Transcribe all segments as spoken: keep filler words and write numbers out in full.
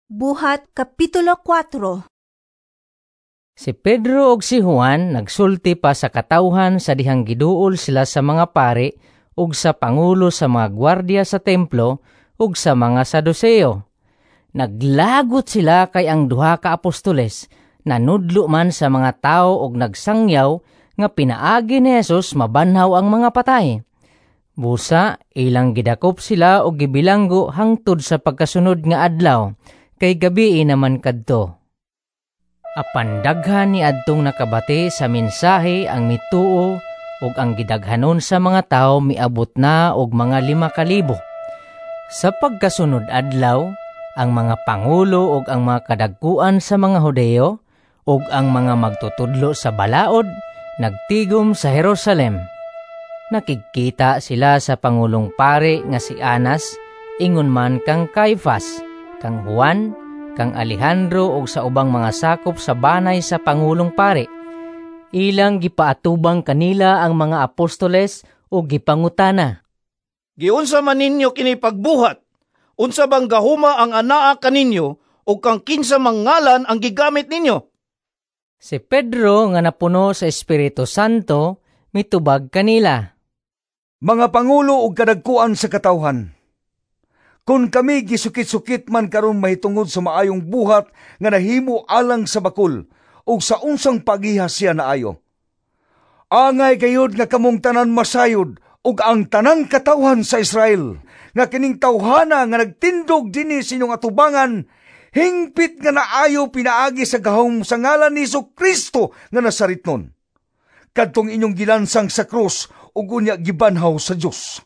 Buhat Kapitulo kuwatro. Si Pedro ug si Juan nagsulti pa sa katawhan sa dihang giduol sila sa mga pari ug sa pangulo sa mga gwardiya sa templo ug sa mga Saduseo. Naglagot sila kay ang duha ka apostoles nanudlo man sa mga tawo ug nagsangyaw nga pinaagi ni Jesus mabanhaw ang mga patay. Busa ilang gidakop sila og gibilanggo hangtod sa pagkasunod nga adlaw, kay gabii naman kadto. Apan daghan ni adtong nakabati sa mensahe ang mituo, ug ang gidaghanon sa mga tawo miabot na og mga lima ka libo. Sa pagkasunod adlaw, ang mga pangulo ug ang mga kadagkuan sa mga Hudeo ug ang mga magtutudlo sa balaod nagtigom sa Jerusalem. Nakigkita sila sa pangulong pari nga si Anas, ingon man kang Caifas, kang Juan, kang Alejandro ug sa ubang mga sakop sa banay sa pangulong pari. Ilang gipaatubang kanila ang mga apostoles ug gipangutana. "Giunsa man ninyo kini pagbuhat? Unsa bang gahuma ang anaa kaninyo ug kang kinsa mang ngalan ang gigamit ninyo?" Si Pedro nga napuno sa Espiritu Santo mitubag kanila. "Mga pangulo ug kadagkuan sa katawhan, kung kami gisukit-sukit man karon mahitungod sa maayong buhat nga nahimo alang sa bakul ug sa unsang pagiha siya naayo, angay gayud nga kamong tanan masayod ug ang tanang katawhan sa Israel nga kining tawhana nga nagtindog dinhi sa inyong atubangan hingpit nga naayo pinaagi sa gahom sa ngalan ni Hesus Kristo nga Nazaretnon, kadtong inyong gilansang sa krus ug unya gibanhaw sa Dios.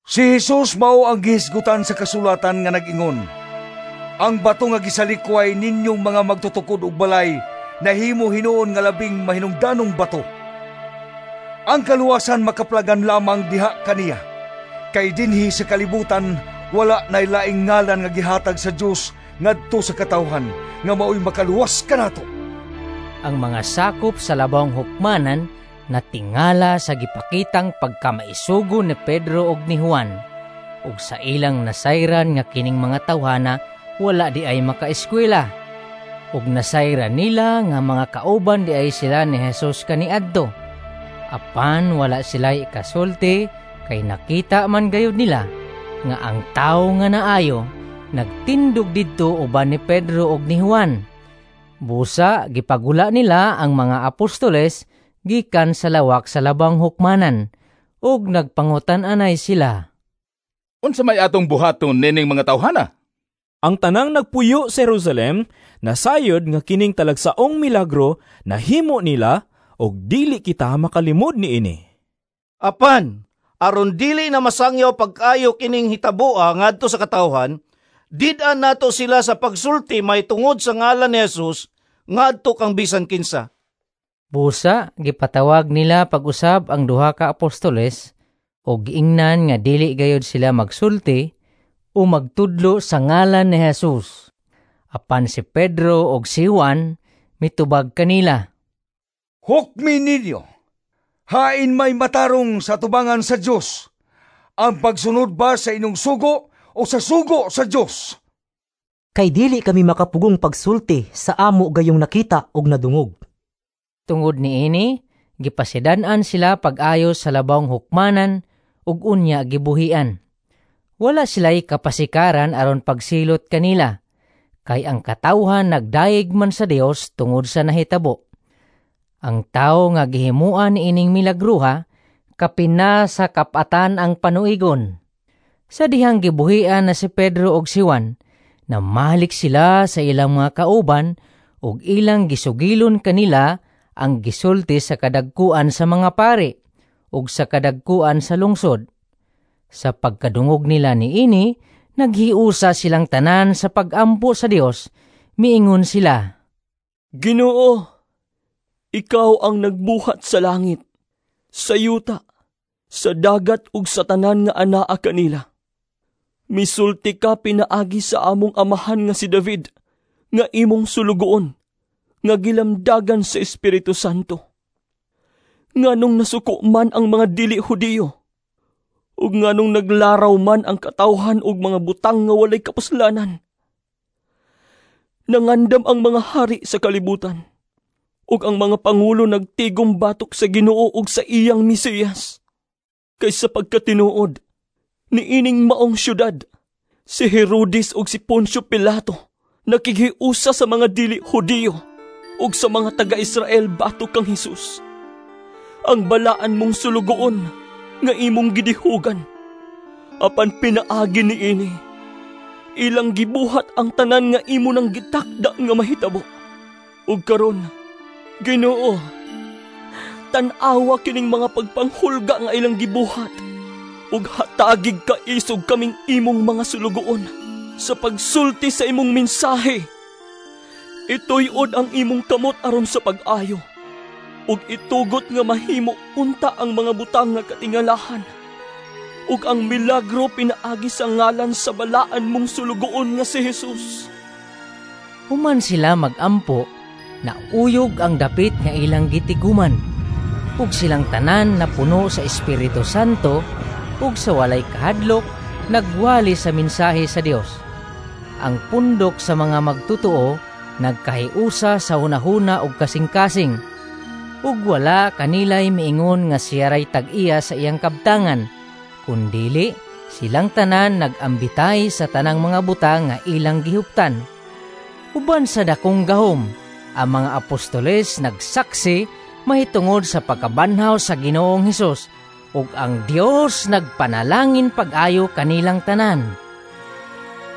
Si Jesus mao ang gihisgutan sa kasulatan nga nag-ingon, 'Ang bato nga gisalikway ninyong mga magtutukod og balay, nahimo hinuon nga labing mahinungdanong bato.' Ang kaluwasan makaplagan lamang diha kaniya. Kay dinhi sa kalibutan wala nay laing ngalan nga gihatag sa Dios ngadto sa katawhan nga maoy makaluwas kanato." Ang mga sakop sa labawng hukmanan natingala sa gipakitang pagkamaisugo ni Pedro ug ni Juan, ug sa ilang nasayran nga kining mga tawhana wala di ay makaeskwela. Ug nasayran nila nga mga kauban di ay sila ni Jesus kaniadto. Apan wala sila ikasulti kay nakita man gayud nila nga ang tawo nga naayo nagtindog didto uban ni Pedro ug ni Juan. Busa gipagula nila ang mga apostoles gikan sa lawak sa labang hukmanan ug nagpangutan-anay sila. "Unsa may atong buhaton nining mga tawhana? Ang tanang nagpuyo sa Jerusalem nasayod nga kining talagsaong milagro nahimo nila ug dili kita makalimod niini. Apan, aron dili na masangyaw pagkayo kining hitaboa ngadto sa katawhan, did-an nato sila sa pagsulti mahitungod sa ngalan ni Jesus ngadto kang bisan kinsa." Busa gipatawag nila pag-usab ang duha ka apostoles ug giingnan nga dili gayud sila magsulti o magtudlo sa ngalan ni Jesus. Apan si Pedro ug si Juan mitubag kanila. "Hukmi ninyo, hain may matarong sa tubangan sa Dios, ang pagsunod ba sa inyong sugo o sa sugo sa Dios? Kay dili kami makapugong pagsulti sa amo gayong nakita ug nadungog." Tungod niini, gipasidan-an sila pag-ayo sa labawng hukmanan ug unya gibuhian. Wala sila'y kapasikaran aron pagsilot kanila, kay ang katawhan nagdayeg man sa Dios tungod sa nahitabo. Ang tawo nga gihimuan niining milagruha, kapin na sa kapatan ang panuigon. Sa dihang gibuhian na si Pedro ug si Juan, namalik sila sa ilang mga kauban ug ilang gisugilon kanila ang gisulti sa kadagkuan sa mga pari ug sa kadagkuan sa lungsod. Sa pagkadungog nila niini, naghiusa silang tanan sa pagampo sa Dios. Miingon sila, "Ginoo, ikaw ang nagbuhat sa langit, sa yuta, sa dagat ug sa tanan nga anaa kanila. Misulti ka pinaagi sa among amahan nga si David, nga imong sulugoon, nga gilamdagan sa Espiritu Santo: Nganong nasuko man ang mga dili Hudiyo, ug nganong naglaraw man ang katawhan og mga butang nga walay kapuslanan? Nangandam ang mga hari sa kalibutan, ug ang mga pangulo nagtigom batok sa Ginoo ug sa iyang Mesiyas. Kay sa pagkatinuod, niining maong syudad, si Herodes ug si Poncio Pilato nakighiusa sa mga dili Hudiyo ug sa mga taga-Israel batok kang Hesus, ang balaan mong sulugoon nga imong gidihugan. Apan pinaagi niini, ilang gibuhat ang tanan nga imo nang gitakda nga mahitabo. Ug karon, Ginoo, tan-awa kining mga pagpanghulga nga ilang gibuhat ug hatagig kaisog kaming imong mga sulugoon sa pagsulti sa imong mensahe. Ituyod ang imong kamot aron sa pag-ayo ug itugot nga mahimo unta ang mga butang nga katingalahan ug ang milagro pinaagi sa ngalan sa balaan mong sulugoon nga si Jesus. Human sila magampo, nauyog ang dapit nga ilang gitiguman. Ug silang tanan napuno sa Espiritu Santo ug sa walay kahadlok nagwali sa mensahe sa Dios. Ang pundok sa mga magtotoo nagkahiusa sa hunahuna ug kasing-kasing. Ug wala kanilay miingon nga siya ray tag-iya sa iyang kabtangan, kundili silang tanan nagambitay sa tanang mga butang nga ilang gihuptan. Uban sa dakong gahom, ang mga apostoles nagsaksi mahitungod sa pagkabanhaw sa Ginoong Hesus ug ang Dios nagpanalangin pag-ayo kanilang tanan.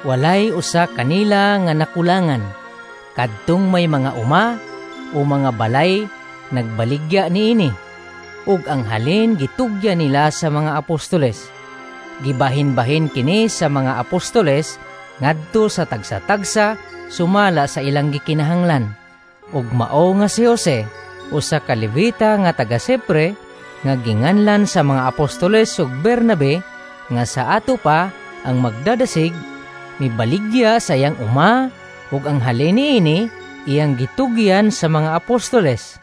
Walay usa kanila nga nakulangan. Kadtong may mga uma o mga balay nagbaligya niini, ug ang halin gitugyan nila sa mga apostoles. Gibahin-bahin kini sa mga apostoles ngadto sa tagsa-tagsa sumala sa ilang gikinahanglan. Ug mao nga si Jose, usa ka Levita nga taga Sipre, nga ginganlan sa mga apostoles ug Bernabe, nga sa ato pa ang magdadasig, mibaligya sa iyang uma, ug ang halin niini iyang gitugyan sa mga apostoles.